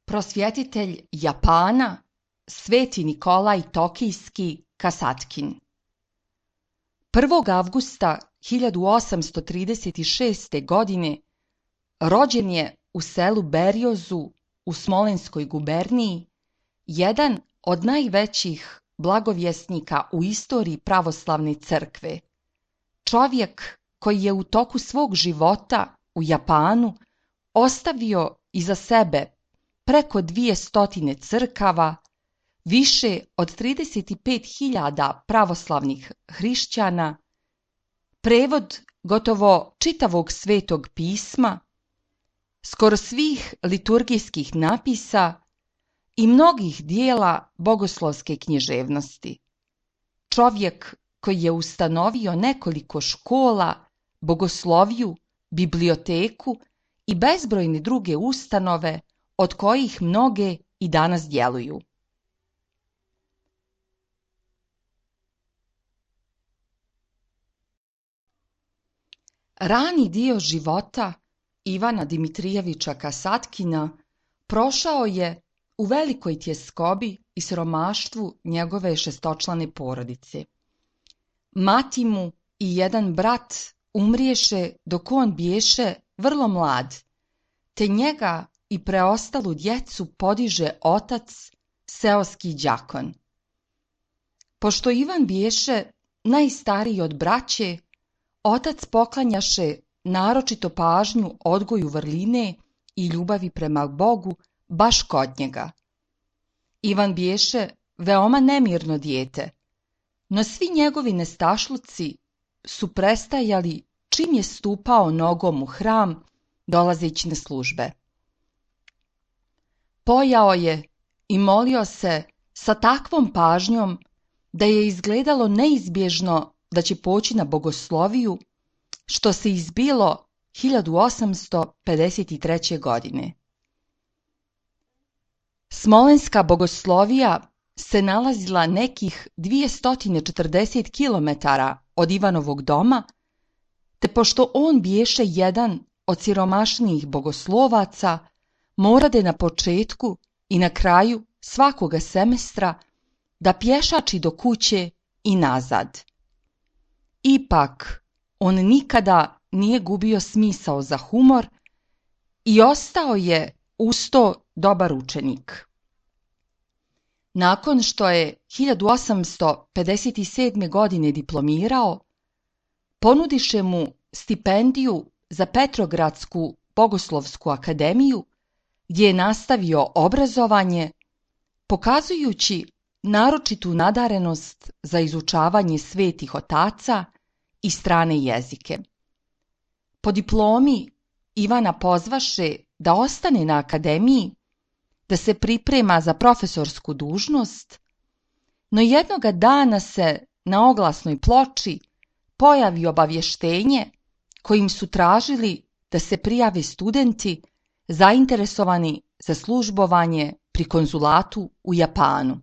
Prosvjetitelj Japana Sveti Nikolaj Tokijski Kasatkin. 1. avgusta 1836. godine rođen je u selu Berjozu u Smolenskoj guberniji, jedan od najvećih blagovjesnika u istoriji pravoslavne crkve. Čovjek koji je u toku svog života u Japanu ostavio iza sebe preko 200 crkava, više od 35.000 pravoslavnih hrišćana, prevod gotovo čitavog svetog pisma, skoro svih liturgijskih napisa i mnogih dijela bogoslovske književnosti. Čovjek koji je ustanovio nekoliko škola, bogosloviju, biblioteku i bezbrojne druge ustanove od kojih mnoge i danas djeluju. Rani dio života Ivana Dimitrijevića Kasatkina prošao je u velikoj tjeskobi i siromaštvu njegove šestočlane porodice. Mati mu i jedan brat umriješe dok on biješe vrlo mlad, te njega i preostalu djecu podiže otac, seoski đakon. Pošto Ivan biješe najstariji od braće, otac poklanjaše naročito pažnju odgoju vrline i ljubavi prema Bogu baš kod njega. Ivan biješe veoma nemirno dijete, no svi njegovi nestašluci su prestajali čim je stupao nogom u hram dolazeći na službe. Pojao je i molio se sa takvom pažnjom da je izgledalo neizbježno da će poći na bogosloviju, što se izbilo 1853. godine. Smolenska bogoslovija se nalazila nekih 240 km od Ivanovog doma, te pošto on biješe jedan od siromašnijih bogoslovaca, morade na početku i na kraju svakoga semestra da pješači do kuće i nazad. Ipak, on nikada nije gubio smisao za humor i ostao je uz to dobar učenik. Nakon što je 1857. godine diplomirao, ponudiše mu stipendiju za Petrogradsku bogoslovsku akademiju, gdje je nastavio obrazovanje, pokazujući naročitu nadarenost za izučavanje svetih otaca i strane jezike. Po diplomi Ivana pozvaše da ostane na akademiji, da se priprema za profesorsku dužnost, no jednoga dana se na oglasnoj ploči pojavi obavještenje kojim su tražili da se prijave studenti zainteresovani za službovanje pri konzulatu u Japanu.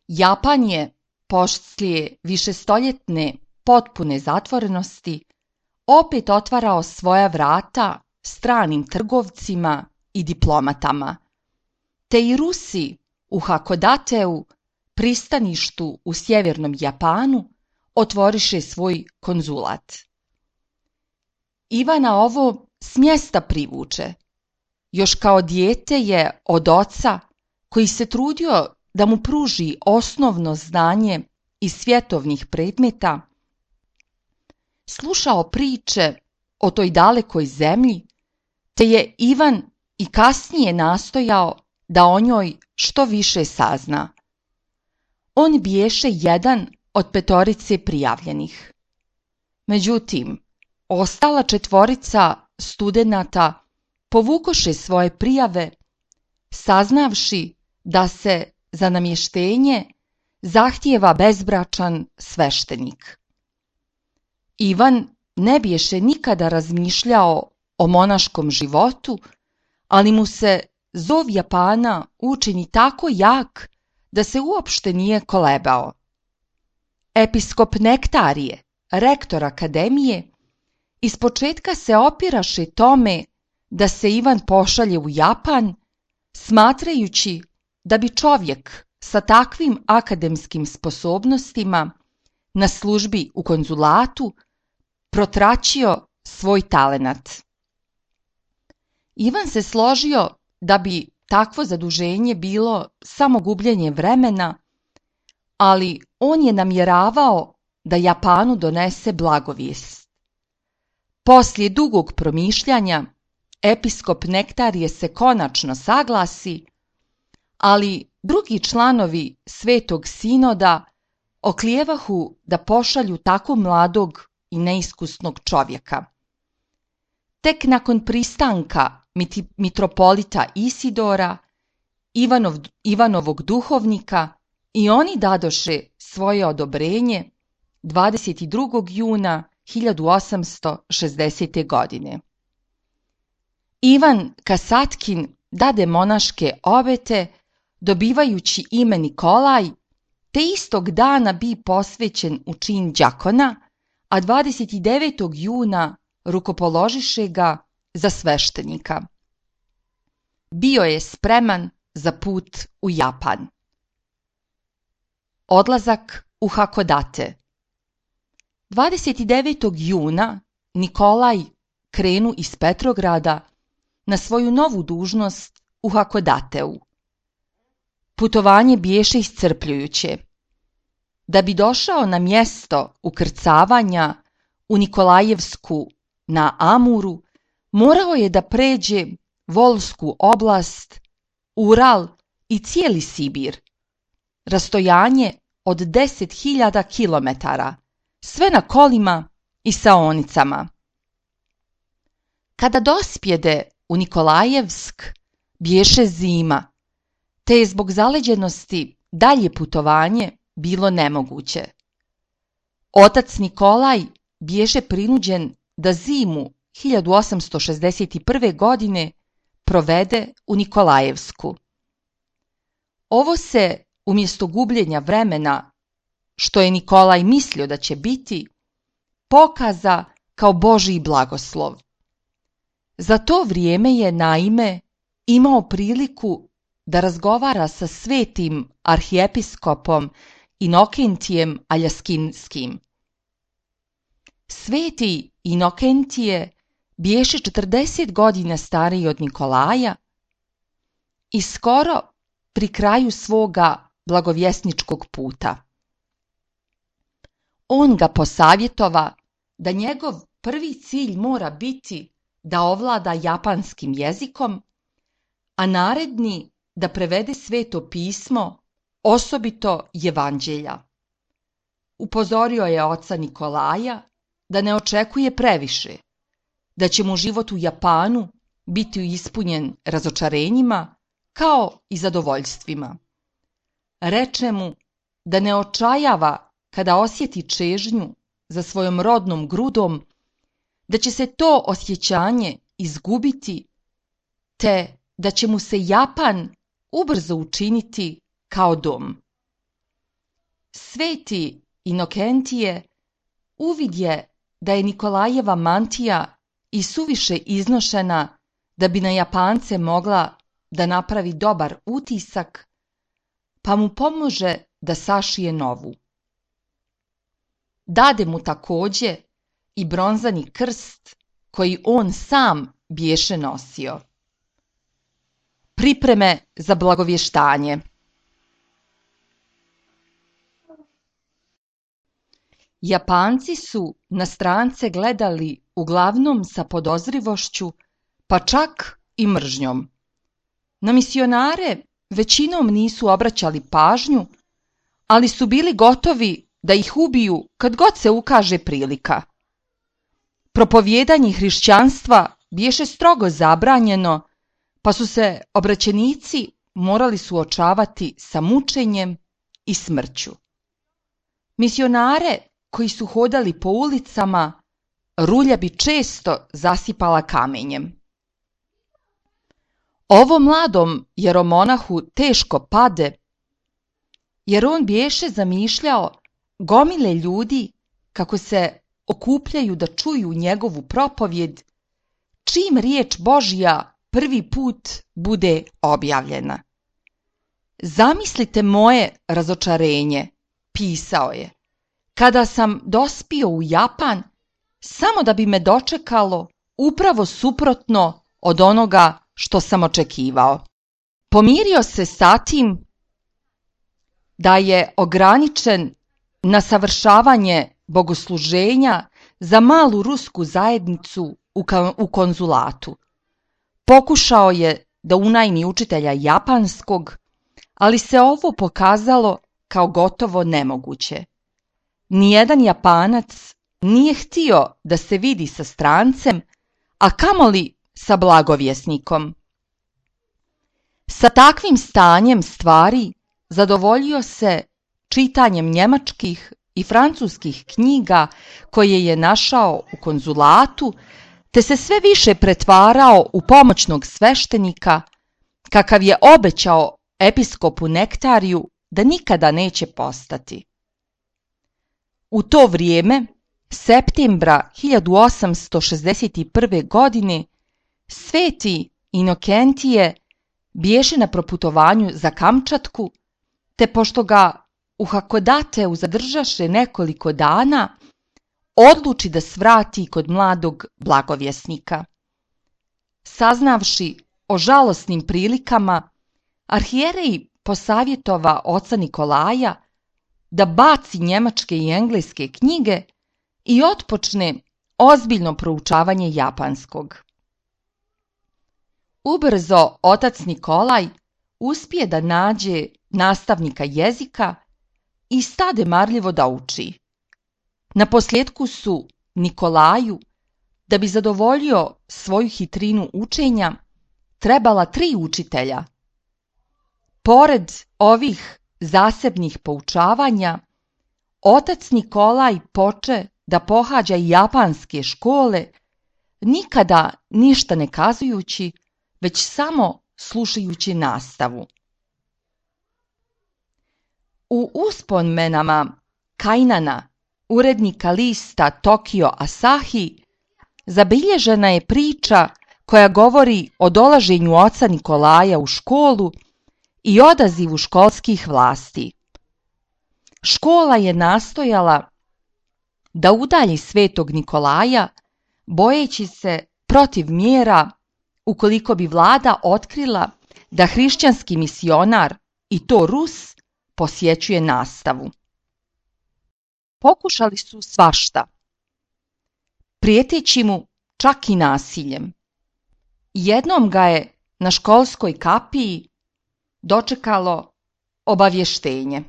Japan je, poslije višestoljetne potpune zatvorenosti, opet otvarao svoja vrata stranim trgovcima i diplomatama, te i Rusi u Hakodateu, pristaništu u sjevernom Japanu, otvoriše svoj konzulat. Ivana ovo s mjesta privuče. Još kao dijete je od oca, koji se trudio da mu pruži osnovno znanje iz svjetovnih predmeta, slušao priče o toj dalekoj zemlji, te je Ivan i kasnije nastojao da o njoj što više sazna. On biješe jedan od 5 prijavljenih. Međutim, ostala 4 studenata povukoše svoje prijave, saznavši da se za namještenje zahtijeva bezbračan sveštenik. Ivan ne biješe nikada razmišljao o monaškom životu, ali mu se zov Japana učini tako jak da se uopšte nije kolebao. Episkop Nektarije, rektor akademije, ispočetka se opiraše tome da se Ivan pošalje u Japan, smatrajući da bi čovjek sa takvim akademskim sposobnostima na službi u konzulatu protraćio svoj talenat. Ivan se složio da bi takvo zaduženje bilo samo gubljenje vremena, ali on je namjeravao da Japanu donese blagovijest. Poslije dugog promišljanja, episkop Nektarije se konačno saglasi, ali drugi članovi Svetog sinoda oklijevahu da pošalju tako mladog i neiskusnog čovjeka. Tek nakon pristanka mitropolita Isidora, Ivanovog duhovnika, i oni dadoše svoje odobrenje 22. juna 1860. godine. Ivan Kasatkin dade monaške obete, dobivajući ime Nikolaj, te istog dana bi posvećen u čin đakona, a 29. juna rukopoložiše ga za sveštenika. Bio je spreman za put u Japan. Odlazak u Hakodate. 29. juna Nikolaj krenu iz Petrograda na svoju novu dužnost u Hakodateu. Putovanje biješe iscrpljujuće. Da bi došao na mjesto ukrcavanja u Nikolajevsku na Amuru, morao je da pređe Volsku oblast, Ural i cijeli Sibir. Rastojanje od 10.000 kilometara, sve na kolima i saonicama. Kada dospjede u Nikolajevsk, biješe zima, te je zbog zaleđenosti dalje putovanje bilo nemoguće. Otac Nikolaj biješe prinuđen da zimu 1861. godine provede u Nikolajevsku. Ovo se, umjesto gubljenja vremena, što je Nikolaj mislio da će biti, pokaza kao Božji blagoslov. Za to vrijeme je, naime, imao priliku da razgovara sa svetim arhijepiskopom Inokentijem Aljaskinskim. Sveti Inokentije biješe 40 godina stariji od Nikolaja i skoro pri kraju svoga blagovjesničkog puta. On ga posavjetova da njegov prvi cilj mora biti da ovlada japanskim jezikom, a naredni da prevede Sveto pismo, osobito Evanđelja. Upozorio je oca Nikolaja da ne očekuje previše, da će mu život u Japanu biti ispunjen razočarenjima kao i zadovoljstvima. Reče mu da ne očajava kada osjeti čežnju za svojom rodnom grudom, da će se to osjećanje izgubiti, te da će mu se Japan ubrzo učiniti kao dom. Sveti Inokentije uvidje da je Nikolajeva mantija i suviše iznošena da bi na Japance mogla da napravi dobar utisak, pa mu pomože da sašije novu. Dade mu također i bronzani krst koji on sam biješe nosio. Pripreme za blagovještanje. Japanci su na strance gledali uglavnom sa podozrivošću, pa čak i mržnjom. Na misionare većinom nisu obraćali pažnju, ali su bili gotovi da ih ubiju kad god se ukaže prilika. Propovijedanje hrišćanstva biješe strogo zabranjeno, pa su se obraćenici morali suočavati sa mučenjem i smrću. Misionare koji su hodali po ulicama, rulja bi često zasipala kamenjem. Ovo mladom jeromonahu teško pade, jer on biješe zamišljao gomile ljudi kako se okupljaju da čuju njegovu propovjed, čim riječ Božja prvi put bude objavljena. Zamislite moje razočarenje, pisao je, kada sam dospio u Japan samo da bi me dočekalo upravo suprotno od onoga što sam očekivao. Pomirio se sa tim da je ograničen na savršavanje bogosluženja za malu rusku zajednicu u konzulatu. Pokušao je da unajmi učitelja japanskog, ali se ovo pokazalo kao gotovo nemoguće. Nijedan Japanac nije htio da se vidi sa strancem, a kamoli sa blagovjesnikom. Sa takvim stanjem stvari zadovoljio se čitanjem njemačkih i francuskih knjiga koje je našao u konzulatu, te se sve više pretvarao u pomoćnog sveštenika, kakav je obećao episkopu Nektariju da nikada neće postati. U to vrijeme, septembra 1861. godine, sveti Inokentije bješe na proputovanju za Kamčatku, te pošto ga u Hakodateu zadržaše nekoliko dana, odluči da svrati kod mladog blagovjesnika. Saznavši o žalosnim prilikama, arhijerej posavjetova oca Nikolaja da baci njemačke i engleske knjige i otpočne ozbiljno proučavanje japanskog. Ubrzo otac Nikolaj uspije da nađe nastavnika jezika i stade marljivo da uči. Naposljetku su Nikolaju, da bi zadovoljio svoju hitrinu učenja, trebala 3 učitelja. Pored ovih zasebnih poučavanja, otac Nikolaj poče da pohađa i japanske škole, nikada ništa ne kazujući, već samo slušajući nastavu. U uspomenama Kainana, urednika lista Tokyo Asahi, zabilježena je priča koja govori o dolaženju oca Nikolaja u školu i odazivu školskih vlasti. Škola je nastojala da udalji svetog Nikolaja, bojeći se protiv mjera ukoliko bi vlada otkrila da hrišćanski misionar, i to Rus, posjećuje nastavu. Pokušali su svašta, prijeteći mu čak i nasiljem. Jednom ga je na školskoj kapiji dočekalo obavještenje.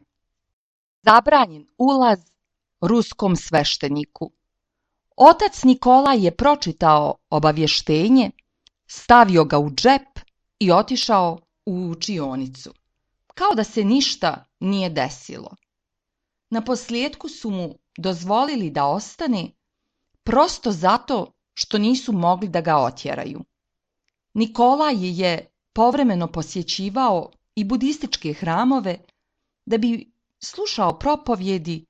Zabranjen ulaz ruskom svešteniku. Otac Nikolaj je pročitao obavještenje, stavio ga u džep i otišao u učionicu, kao da se ništa nije desilo. Naposljetku su mu dozvolili da ostane, prosto zato što nisu mogli da ga otjeraju. Nikolaj je povremeno posjećivao i budističke hramove da bi slušao propovjedi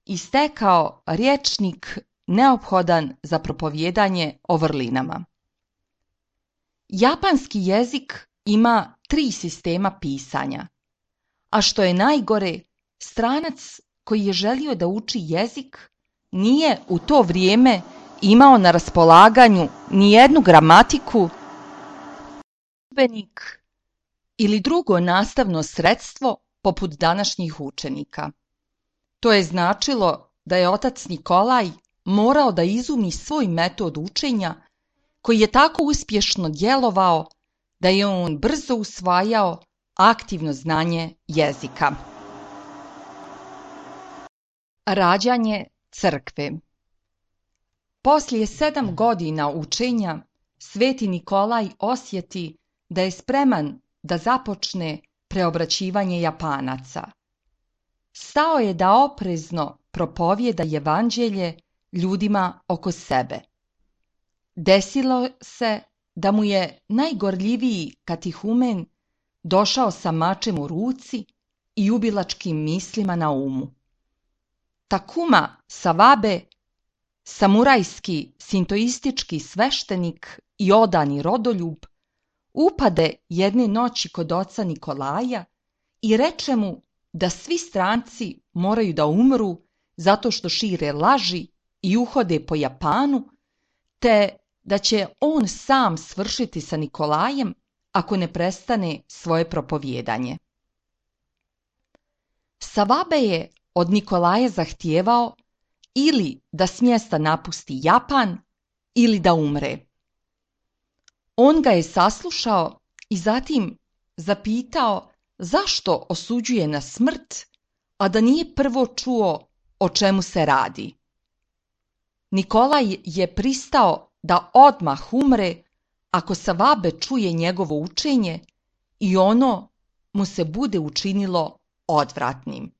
i stekao rječnik neophodan za propovjedanje o vrlinama. Japanski jezik ima 3 sistema pisanja, a što je najgore, stranac koji je želio da uči jezik nije u to vrijeme imao na raspolaganju ni jednu gramatiku, udžbenik ili drugo nastavno sredstvo poput današnjih učenika. To je značilo da je otac Nikolaj morao da izumi svoj metod učenja koji je tako uspješno djelovao da je on brzo usvajao aktivno znanje jezika. Rađanje crkve. Poslije 7 godina učenja, sveti Nikolaj osjeti da je spreman da započne preobraćivanje Japanaca. Stao je da oprezno propovjeda evanđelje ljudima oko sebe. Desilo se da mu je najgorljiviji katehumen došao sa mačem u ruci i ubilačkim mislima na umu. Takuma Sawabe samurajski sintoistički sveštenik i odani rodoljub, upade jedne noći kod oca Nikolaja i reče mu da svi stranci moraju da umru zato što šire laži i uhode po Japanu, te da će on sam svršiti sa Nikolajem ako ne prestane svoje propovijedanje. Savabe je od Nikolaja zahtijevao ili da s mjesta napusti Japan ili da umre. On ga je saslušao i zatim zapitao zašto osuđuje na smrt, a da nije prvo čuo o čemu se radi. Nikolaj je pristao da odmah umre ako Savabe čuje njegovo učenje i ono mu se bude učinilo odvratnim.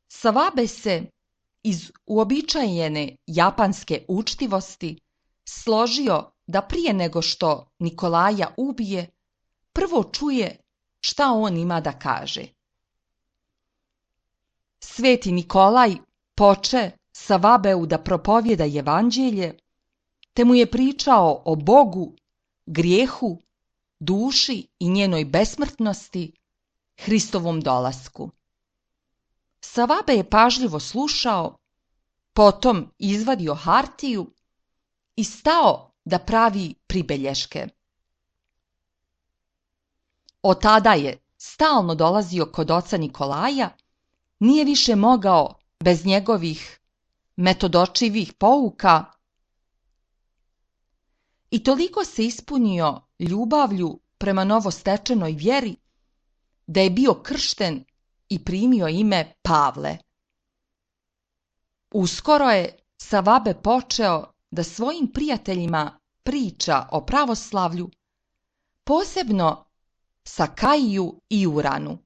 Savabe se iz uobičajene japanske učtivosti složio da prije nego što Nikolaja ubije, prvo čuje šta on ima da kaže. Sveti Nikolaj poče Savabeu da propovjeda evanđelje, te mu je pričao o Bogu, grijehu, duši i njenoj besmrtnosti, Hristovom dolasku. Savabe je pažljivo slušao, potom izvadio hartiju i stao da pravi pribelješke. Od tada je stalno dolazio kod oca Nikolaja, nije više mogao bez njegovih metodočivih pouka i toliko se ispunio ljubavlju prema novostečenoj vjeri da je bio kršten i primio ime Pavle. Uskoro je Savabe počeo da svojim prijateljima priča o pravoslavlju, posebno Sakaiju i Uranu.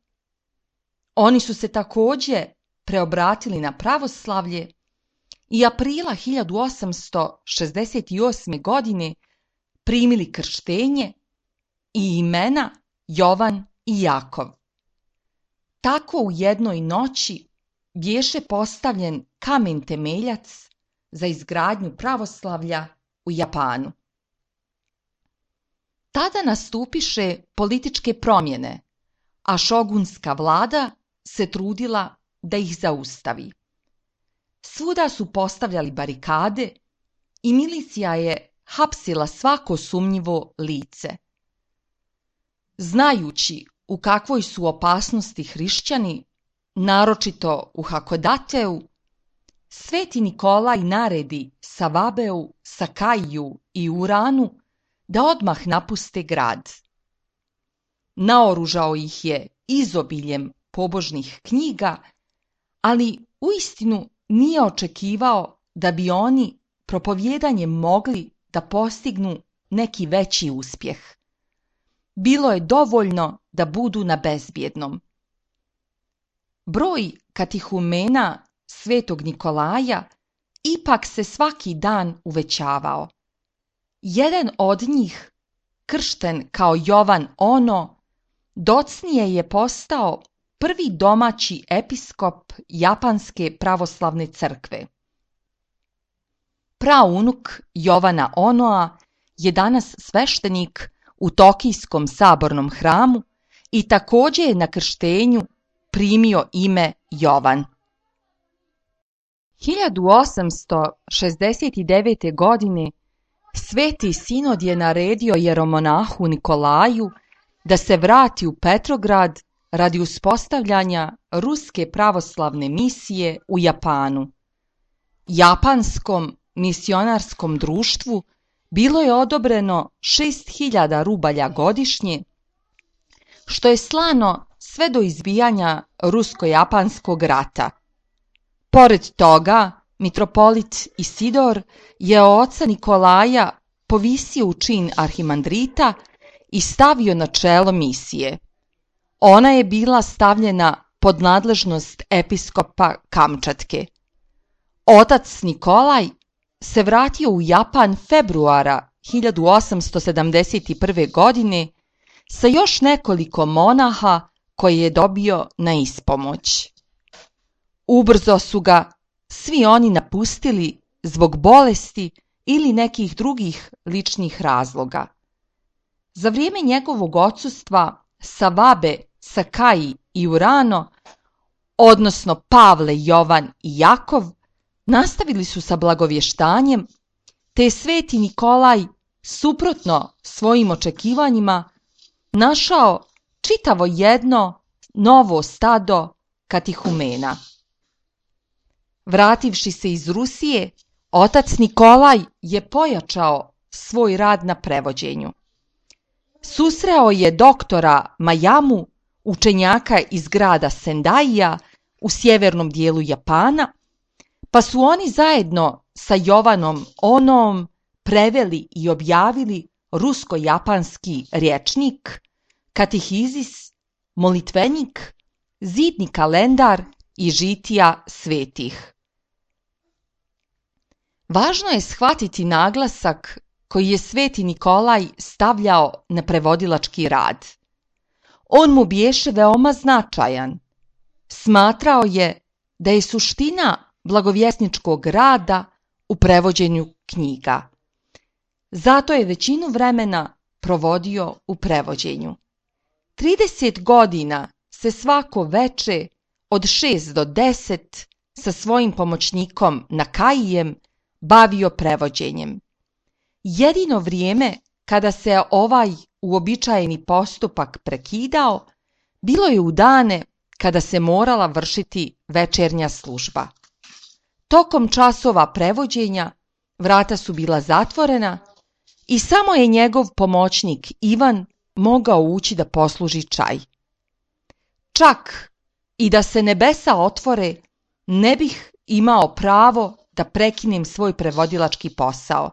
Oni su se također preobratili na pravoslavlje i aprila 1868. godine primili krštenje i imena Jovan i Jakov. Tako u jednoj noći bješe postavljen kamen temeljac za izgradnju pravoslavlja u Japanu. Tada nastupiše političke promjene, a šogunska vlada se trudila da ih zaustavi. Svuda su postavljali barikade i milicija je hapsila svako sumnjivo lice. Znajući u kakvoj su opasnosti hrišćani, naročito u Hakodateu, Sveti Nikolaj naredi Savabeu, Sakaiju i Uranu da odmah napuste grad. Naoružao ih je izobiljem pobožnih knjiga, ali uistinu nije očekivao da bi oni propovjedanjem mogli da postignu neki veći uspjeh. Bilo je dovoljno da budu na bezbjednom. Broj katihumena Svetog Nikolaja ipak se svaki dan uvećavao. Jedan od njih, kršten kao Jovan Ono, docnije je postao prvi domaći episkop Japanske pravoslavne crkve. Praunuk Jovana Onoa je danas sveštenik u Tokijskom sabornom hramu i također je na krštenju primio ime Jovan. 1869. godine Sveti Sinod je naredio jeromonahu Nikolaju da se vrati u Petrograd radi uspostavljanja ruske pravoslavne misije u Japanu. Japanskom misionarskom društvu bilo je odobreno 6.000 rubalja godišnje, što je slano sve do izbijanja rusko-japanskog rata. Pored toga, mitropolit Isidor je oca Nikolaja povisio u čin arhimandrita i stavio na čelo misije. Ona je bila stavljena pod nadležnost episkopa Kamčatke. Otac Nikolaj se vratio u Japan februara 1871. godine sa još nekoliko monaha koje je dobio na ispomoć. Ubrzo su ga svi oni napustili zbog bolesti ili nekih drugih ličnih razloga. Za vrijeme njegovog odsustva Savabe, Sakai i Urano, odnosno Pavle, Jovan i Jakov, nastavili su sa blagovještanjem, te je sveti Nikolaj, suprotno svojim očekivanjima, našao čitavo jedno novo stado katihumena. Vrativši se iz Rusije, otac Nikolaj je pojačao svoj rad na prevođenju. Susreo je doktora Majamu, učenjaka iz grada Sendaija u sjevernom dijelu Japana, pa su oni zajedno sa Jovanom Onoom preveli i objavili rusko-japanski rječnik, katehizis, molitvenik, zidni kalendar i žitija svetih. Važno je shvatiti naglasak koji je sveti Nikolaj stavljao na prevodilački rad. On mu biješe veoma značajan. Smatrao je da je suština blagovjesničkog rada u prevođenju knjiga. Zato je većinu vremena provodio u prevođenju. 30 godina se svako veče od 6 do 10 sa svojim pomoćnikom Nakaijem bavio prevođenjem. Jedino vrijeme kada se ovaj uobičajeni postupak prekidao, bilo je u dane kada se morala vršiti večernja služba. Tokom časova prevođenja vrata su bila zatvorena i samo je njegov pomoćnik Ivan mogao ući da posluži čaj. Čak i da se nebesa otvore, ne bih imao pravo da prekinem svoj prevodilački posao,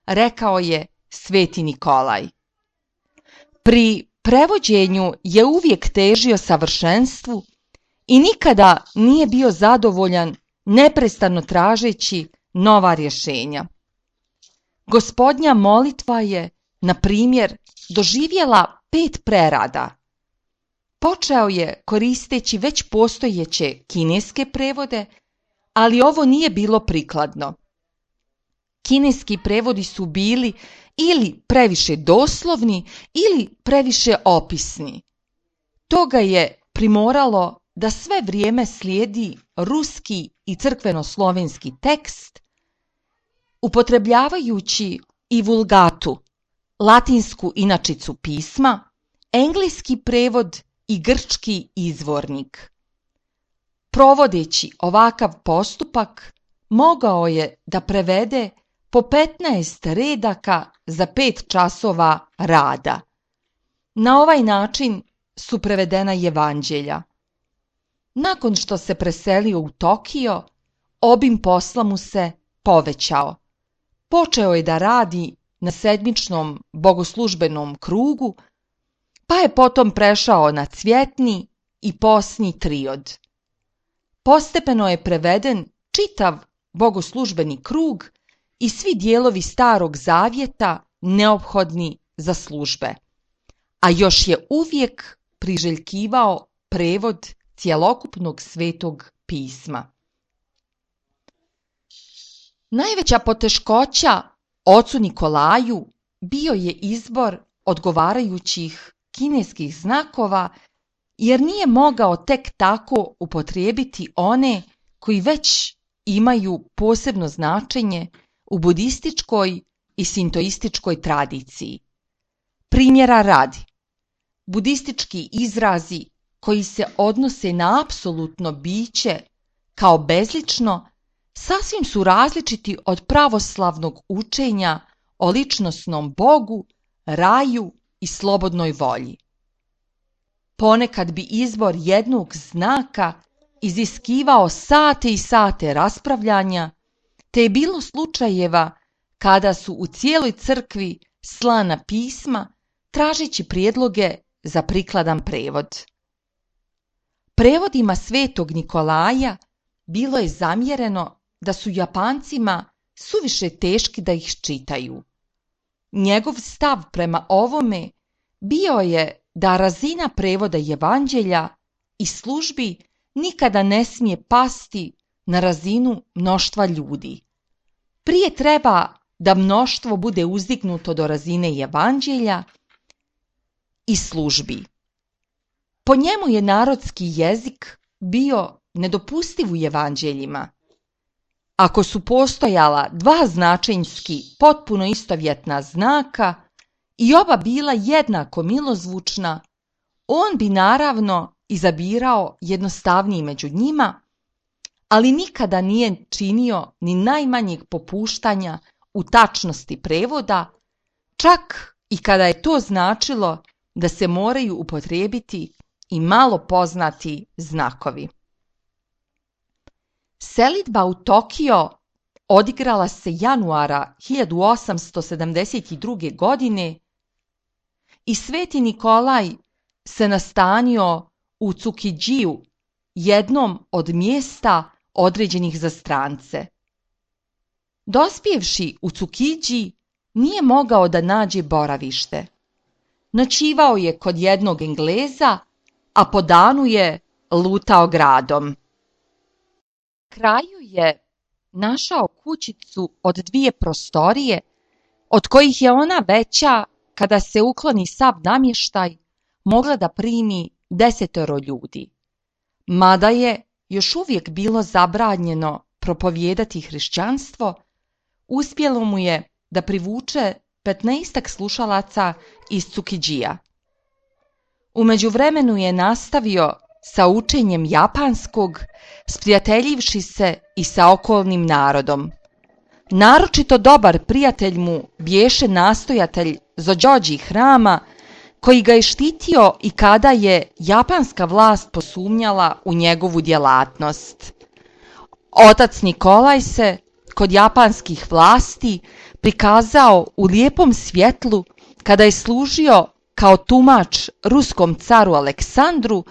rekao je sveti Nikolaj. Pri prevođenju je uvijek težio savršenstvu i nikada nije bio zadovoljan, neprestano tražeći nova rješenja. Gospodnja molitva je, na primjer, doživjela 5 prerada. Počeo je koristeći već postojeće kineske prevode, ali ovo nije bilo prikladno. Kineski prevodi su bili ili previše doslovni ili previše opisni. To ga je primoralo da sve vrijeme slijedi ruski i crkveno-slovenski tekst, upotrebljavajući i vulgatu, latinsku inačicu pisma, engleski prevod i grčki izvornik. Provodeći ovakav postupak, mogao je da prevede po 15 redaka za 5 časova rada. Na ovaj način su prevedena evanđelja. Nakon što se preselio u Tokio, obim posla mu se povećao. Počeo je da radi na sedmičnom bogoslužbenom krugu, pa je potom prešao na cvjetni i posni triod. Postepeno je preveden čitav bogoslužbeni krug i svi dijelovi Starog zavjeta neophodni za službe, a još je uvijek priželjkivao prevod cjelokupnog svetog pisma. Najveća poteškoća ocu Nikolaju bio je izbor odgovarajućih kineskih znakova, jer nije mogao tek tako upotrijebiti one koji već imaju posebno značenje u budističkoj i sintoističkoj tradiciji. Primjera radi, budistički izrazi koji se odnose na apsolutno biće kao bezlično sasvim su različiti od pravoslavnog učenja o ličnosnom Bogu, raju i slobodnoj volji. Ponekad bi izbor jednog znaka iziskivao sate i sate raspravljanja, te je bilo slučajeva kada su u cijeloj crkvi slana pisma tražeći prijedloge za prikladan prevod. Prevodima svetog Nikolaja bilo je zamjereno da su Japancima suviše teški da ih čitaju. Njegov stav prema ovome bio je da razina prevoda evanđelja i službi nikada ne smije pasti na razinu mnoštva ljudi. prije treba da mnoštvo bude uzdignuto do razine evanđelja i službi. Po njemu je narodski jezik bio nedopustiv u evanđeljima. Ako su postojala dva značenjski potpuno istovjetna znaka i oba bila jednako milozvučna, on bi naravno izabirao jednostavniji među njima, ali nikada nije činio ni najmanjeg popuštanja u tačnosti prevoda, čak i kada je to značilo da se moraju upotrijebiti i malo poznati znakovi. Selidba u Tokio odigrala se januara 1872. godine i Sveti Nikolaj se nastanio u Cukidžiju, jednom od mjesta određenih za strance. Dospjevši u Cukidži, nije mogao da nađe boravište. Noćivao je kod jednog Engleza, a po danu je lutao gradom. Kraju je našao kućicu od 2 prostorije, od kojih je ona veća, kada se ukloni sav namještaj, mogla da primi 10 ljudi. Mada je još uvijek bilo zabranjeno propovijedati hrišćanstvo, uspjelo mu je da privuče 15 slušalaca iz Cukidžija. U međuvremenu je nastavio sa učenjem japanskog, sprijateljivši se i sa okolnim narodom. Naročito dobar prijatelj mu bješe nastojatelj Zođođi hrama, koji ga je štitio i kada je japanska vlast posumnjala u njegovu djelatnost. Otac Nikolaj se kod japanskih vlasti prikazao u lijepom svjetlu kada je služio kao tumač ruskom caru Aleksandru,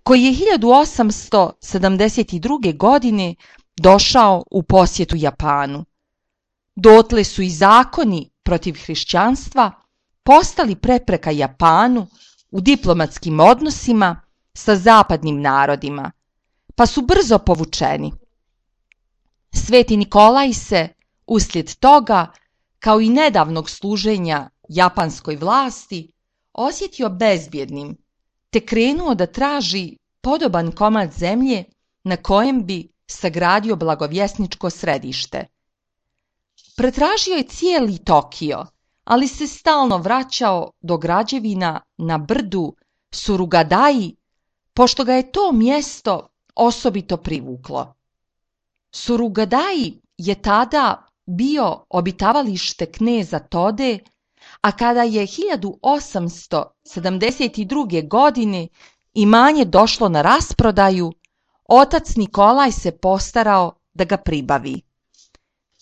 koji je 1872. godine došao u posjetu Japanu. Dotle su i zakoni protiv hrišćanstva postali prepreka Japanu u diplomatskim odnosima sa zapadnim narodima, pa su brzo povučeni. Sveti Nikolaj se, uslijed toga, kao i nedavnog služenja japanskoj vlasti, osjetio bezbjednim, te krenuo da traži podoban komad zemlje na kojem bi sagradio blagovjesničko središte. Pretražio je cijeli Tokio, ali se stalno vraćao do građevina na brdu Surugadai, pošto ga je to mjesto osobito privuklo. Surugadai je tada bio obitavalište kneza Tode, a kada je 1872. godine imanje došlo na rasprodaju, otac Nikolaj se postarao da ga pribavi.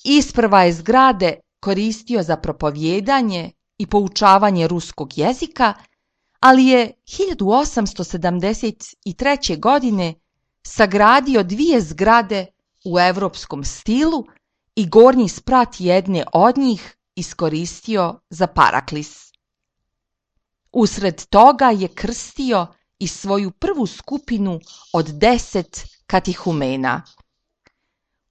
Isprva je zgrade koristio za propovijedanje i poučavanje ruskog jezika, ali je 1873. godine sagradio 2 zgrade u europskom stilu i gornji sprat jedne od njih iskoristio za paraklis. Usred toga je krstio i svoju prvu skupinu od 10 katihumena.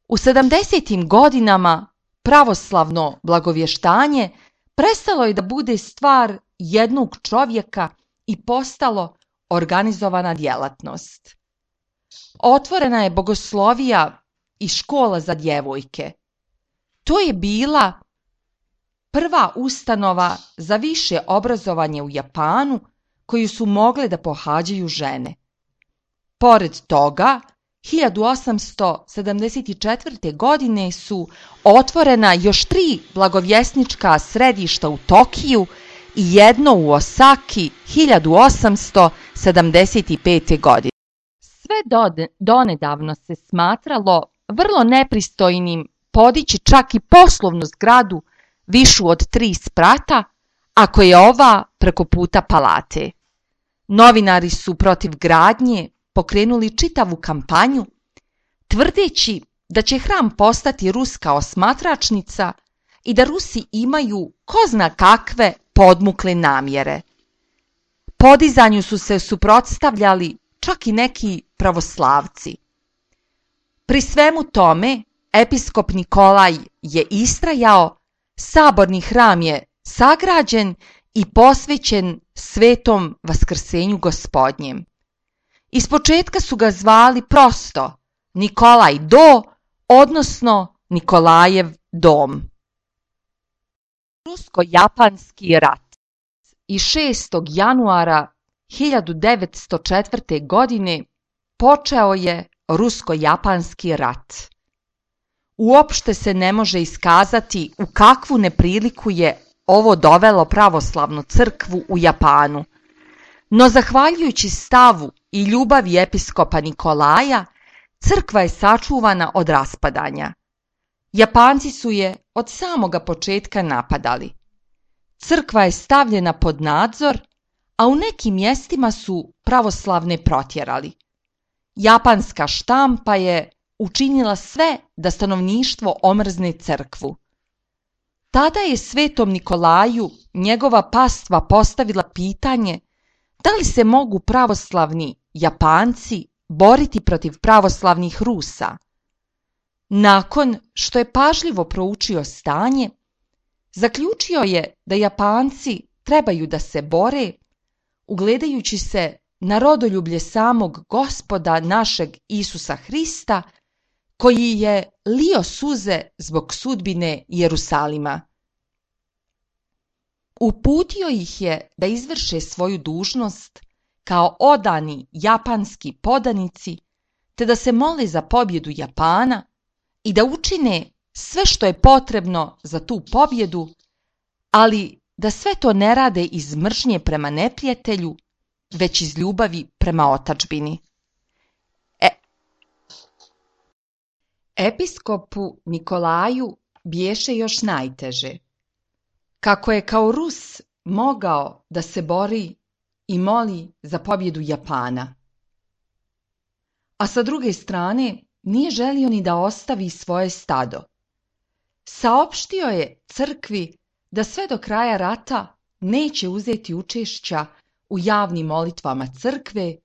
U 70. godinama pravoslavno blagovještanje prestalo je da bude stvar jednog čovjeka i postalo organizovana djelatnost. Otvorena je bogoslovija i škola za djevojke. To je bila prva ustanova za više obrazovanje u Japanu koju su mogle da pohađaju žene. Pored toga, 1874. godine su otvorena još 3 blagovjesnička središta u Tokiju i jedno u Osaki 1875. godine. Sve donedavno se smatralo vrlo nepristojnim podići čak i poslovnu zgradu višu od 3 sprata, ako je ova preko puta palate. Novinari su protiv gradnje pokrenuli čitavu kampanju, tvrdeći da će hram postati ruska osmatračnica i da Rusi imaju ko zna kakve podmukle namjere. Podizanju su se suprotstavljali čak i neki pravoslavci. Pri svemu tome, episkop Nikolaj je istrajao, saborni hram je sagrađen i posvećen Svetom Vaskrsenju Gospodnjem. Ispočetka su ga zvali prosto Nikolaj Do, odnosno Nikolajev dom. Rusko-japanski rat i 6. januara 1904. godine počeo je Rusko-japanski rat. Uopšte se ne može iskazati u kakvu nepriliku je ovo dovelo pravoslavnu crkvu u Japanu, no zahvaljujući stavu i ljubavi episkopa Nikolaja, crkva je sačuvana od raspadanja. Japanci su je od samoga početka napadali. Crkva je stavljena pod nadzor, a u nekim mjestima su pravoslavne protjerali. Japanska štampa je učinila sve da stanovništvo omrzne crkvu. Tada je Svetom Nikolaju njegova pastva postavila pitanje da li se mogu pravoslavni Japanci boriti protiv pravoslavnih Rusa. Nakon što je pažljivo proučio stanje, zaključio je da Japanci trebaju da se bore, ugledajući se na rodoljublje samog Gospoda našeg Isusa Hrista, koji je lio suze zbog sudbine Jerusalima. Uputio ih je da izvrše svoju dužnost kao odani japanski podanici, te da se mole za pobjedu Japana i da učine sve što je potrebno za tu pobjedu, ali da sve to ne rade iz mržnje prema neprijatelju, već iz ljubavi prema otadžbini. Episkopu Nikolaju biješe još najteže. Kako je kao Rus mogao da se bori i moli za pobjedu Japana, a sa druge strane nije želio ni da ostavi svoje stado. Saopštio je crkvi da sve do kraja rata neće uzeti učešća u javnim molitvama crkve,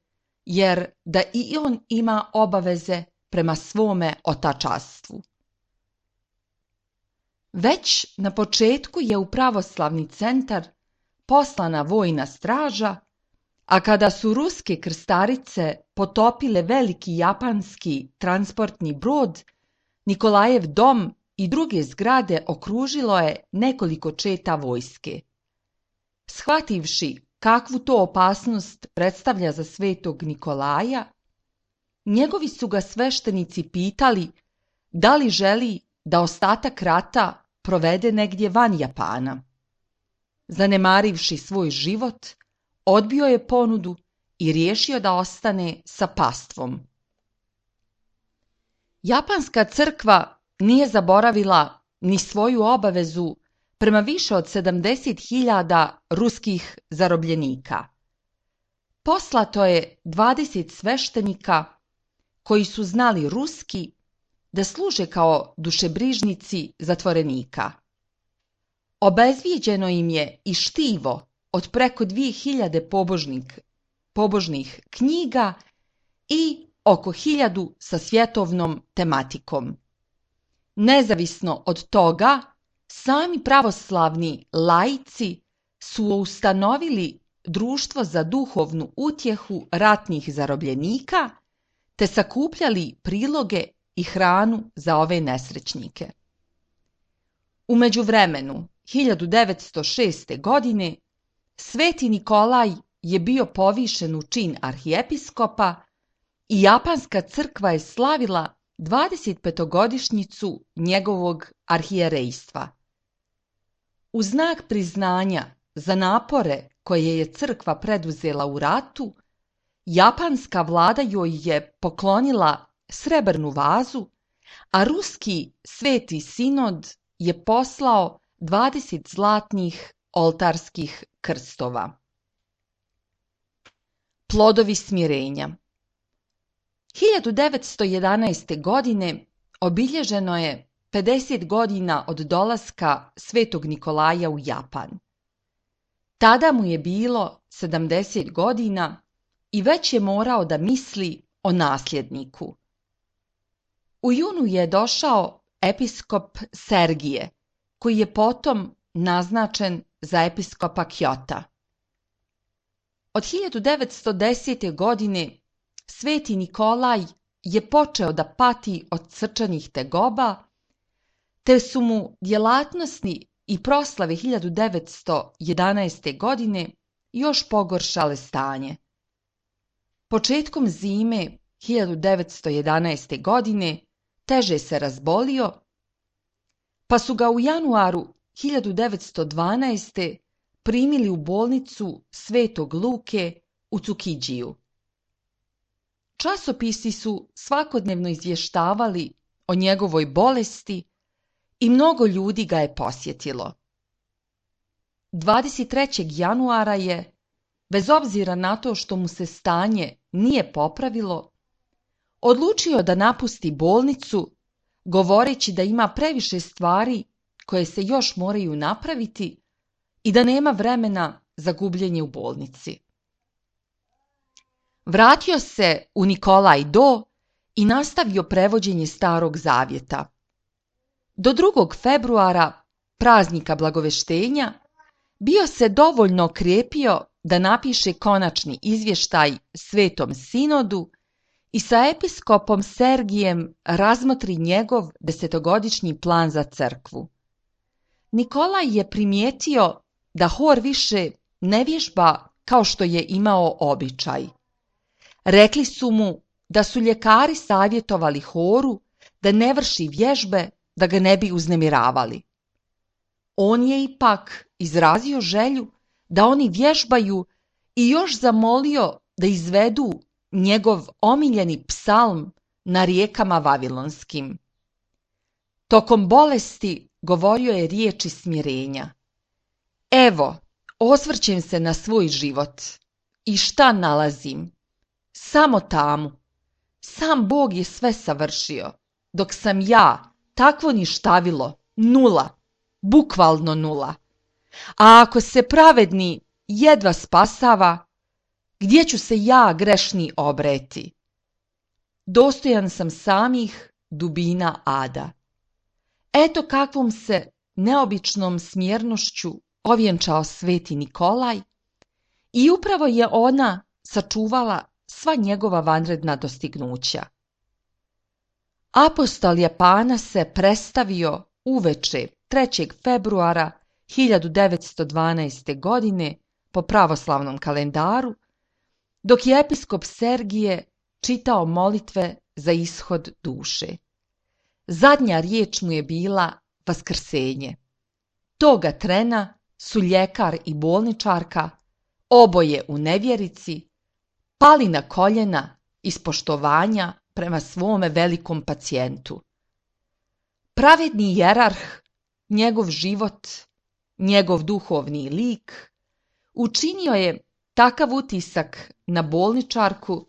jer da i on ima obaveze prema svome otačastvu. Već na početku je u pravoslavni centar poslana vojna straža, a kada su ruske krstarice potopile veliki japanski transportni brod, Nikolajev dom i druge zgrade okružilo je nekoliko četa vojske. Shvativši kakvu to opasnost predstavlja za svetog Nikolaja, njegovi su ga sveštenici pitali da li želi da ostatak rata provede negdje van Japana. Zanemarivši svoj život, odbio je ponudu i riješio da ostane sa pastvom. Japanska crkva nije zaboravila ni svoju obavezu prema više od 70.000 ruskih zarobljenika. Poslato je 20 sveštenika koji su znali ruski da služe kao dušebrižnici zatvorenika. Obezvijeđeno im je i štivo od preko 2000 pobožnih knjiga i oko 1000 sa svjetovnom tematikom. Nezavisno od toga, sami pravoslavni laici su ustanovili društvo za duhovnu utjehu ratnih zarobljenika, te sakupljali priloge i hranu za ove nesrećnike. U međuvremenu, 1906. godine, Sveti Nikolaj je bio povišen u čin arhijepiskopa i japanska crkva je slavila 25-godišnjicu njegovog arhijerejstva. U znak priznanja za napore koje je crkva preduzela u ratu, japanska vlada joj je poklonila srebrnu vazu, a ruski sveti sinod je poslao 20 zlatnih oltarskih krstova. Plodovi smirenja. 1911. godine obilježeno je 50 godina od dolaska Svetog Nikolaja u Japan. Tada mu je bilo 70 godina i već je morao da misli o nasljedniku. U junu je došao episkop Sergije, koji je potom naznačen za episkopa Kjota. Od 1910. godine Sveti Nikolaj je počeo da pati od srčanih tegoba, te su mu djelatnosti i proslave 1911. godine još pogoršale stanje. Početkom zime 1911. godine teže se razbolio, pa su ga u januaru 1912. primili u bolnicu Svetog Luke u Cukidžiju. Časopisi su svakodnevno izvještavali o njegovoj bolesti i mnogo ljudi ga je posjetilo. 23. januara je, bez obzira na to što mu se stanje nije popravilo, odlučio da napusti bolnicu, govoreći da ima previše stvari koje se još moraju napraviti i da nema vremena za gubljenje u bolnici. Vratio se u Nikolaj Do i nastavio prevođenje Starog Zavjeta. Do 2. februara, praznika Blagoveštenja, bio se dovoljno okrepio da napiše konačni izvještaj Svetom Sinodu i sa episkopom Sergijem razmotri njegov 10-godišnji plan za crkvu. Nikolaj je primijetio da hor više ne vježba kao što je imao običaj. Rekli su mu da su ljekari savjetovali horu da ne vrši vježbe da ga ne bi uznemiravali. On je ipak izrazio želju da oni vježbaju i još zamolio da izvedu njegov omiljeni psalm na rijekama vavilonskim. Tokom bolesti govorio je riječi smirenja. Evo, osvrćem se na svoj život i šta nalazim? Samo tamu. Sam Bog je sve savršio, dok sam ja takvo ništavilo, nula, bukvalno nula. A ako se pravedni jedva spasava, gdje ću se ja grešni obreti? Dostojan sam samih dubina ada. Eto kakvom se neobičnom smjernošću ovjenčao Sveti Nikolaj i upravo je ona sačuvala sva njegova vanredna dostignuća. Apostol Japana se predstavio uveče 3. februara 1912. godine po pravoslavnom kalendaru, dok je episkop Sergije čitao molitve za ishod duše. Zadnja riječ mu je bila vaskrsenje. Toga trena su ljekar i bolničarka, oboje u nevjerici, pali na koljena iz poštovanja prema svome velikom pacijentu. Pravedni jerarh, njegov život, njegov duhovni lik, učinio je takav utisak na bolničarku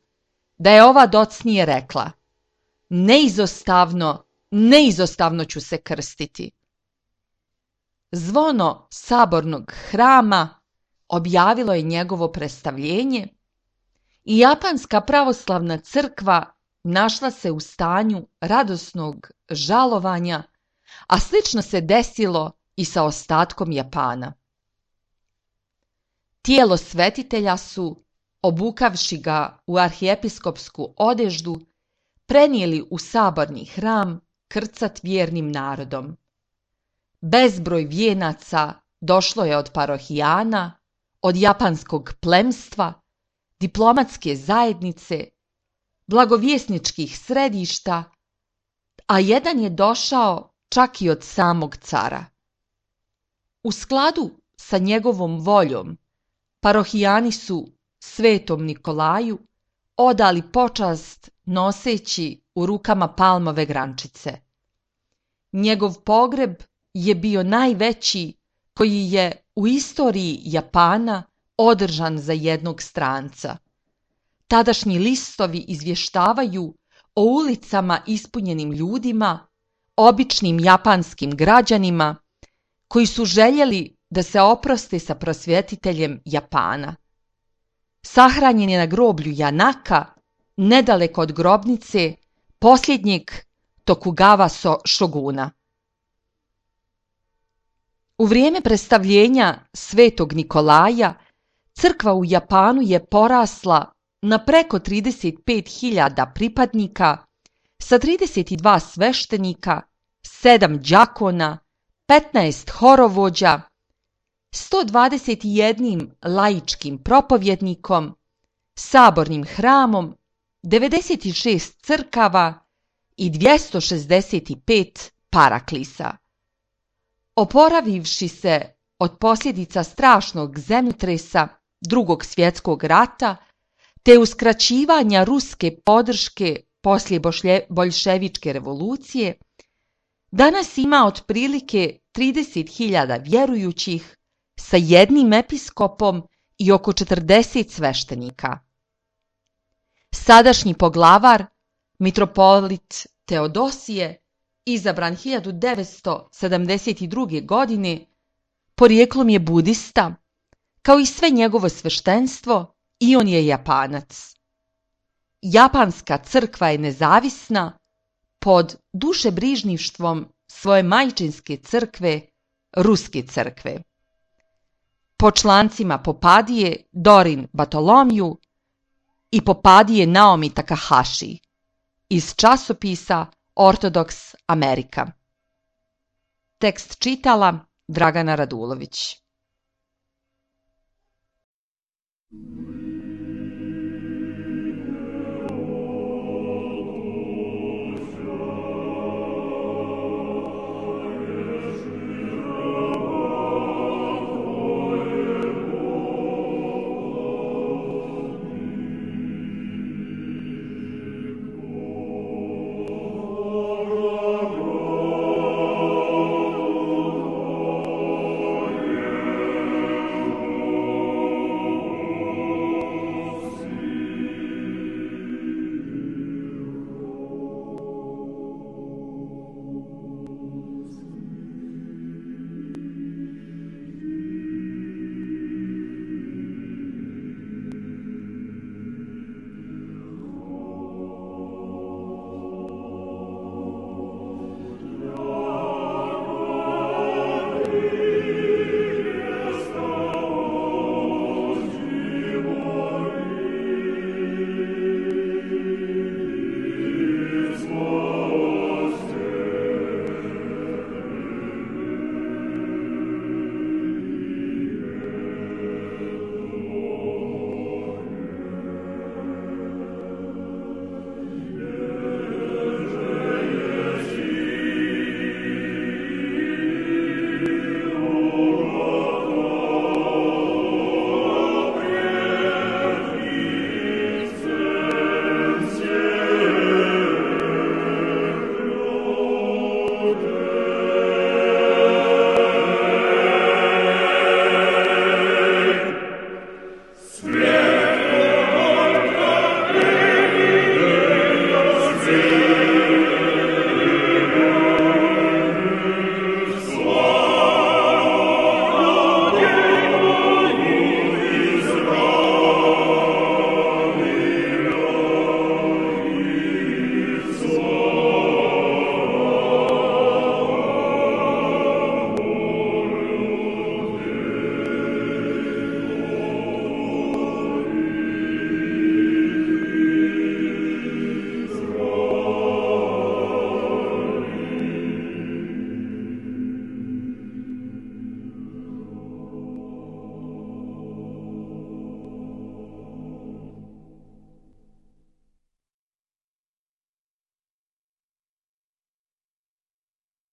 da je ova docnije rekla: neizostavno ću se krstiti. Zvono sabornog hrama objavilo je njegovo predstavljenje i japanska pravoslavna crkva našla se u stanju radosnog žalovanja, a slično se desilo i sa ostatkom Japana. Tijelo svetitelja su, obukavši ga u arhiepiskopsku odeždu, prenijeli u saborni hram krcat vjernim narodom. Bezbroj vijenaca došlo je od parohijana, od japanskog plemstva, diplomatske zajednice, blagovjesničkih središta, a jedan je došao čak i od samog cara. U skladu sa njegovom voljom, parohijani su Svetom Nikolaju odali počast noseći u rukama palmove grančice. Njegov pogreb je bio najveći koji je u istoriji Japana održan za jednog stranca. Tadašnji listovi izvještavaju o ulicama ispunjenim ljudima, običnim japanskim građanima, koji su željeli da se oproste sa prosvjetiteljem Japana. Sahranjen je na groblju Janaka, nedaleko od grobnice posljednjeg Tokugawa šoguna. U vrijeme predstavljenja Svetog Nikolaja crkva u Japanu je porasla na preko 35.000 pripadnika sa 32 sveštenika, 7 đakona, 15 horovođa, 121 laičkim propovjednikom, sabornim hramom, 96 crkava i 265 paraklisa. Oporavivši se od posljedica strašnog zemljotresa Drugog svjetskog rata te uskraćivanja ruske podrške poslije boljševičke revolucije, danas ima otprilike 30.000 vjerujućih sa jednim episkopom i oko 40 sveštenika. Sadašnji poglavar, mitropolit Teodosije, izabran 1972. godine, porijeklom je budista, kao i sve njegovo sveštenstvo, i on je Japanac. Japanska crkva je nezavisna pod dušebrižništvom svoje majčinske crkve, Ruske crkve. Po člancima Popadije Dorin Bartolomiju i Popadije Naomi Takahashi iz časopisa Ortodoks Amerika. Tekst čitala Dragana Radulović.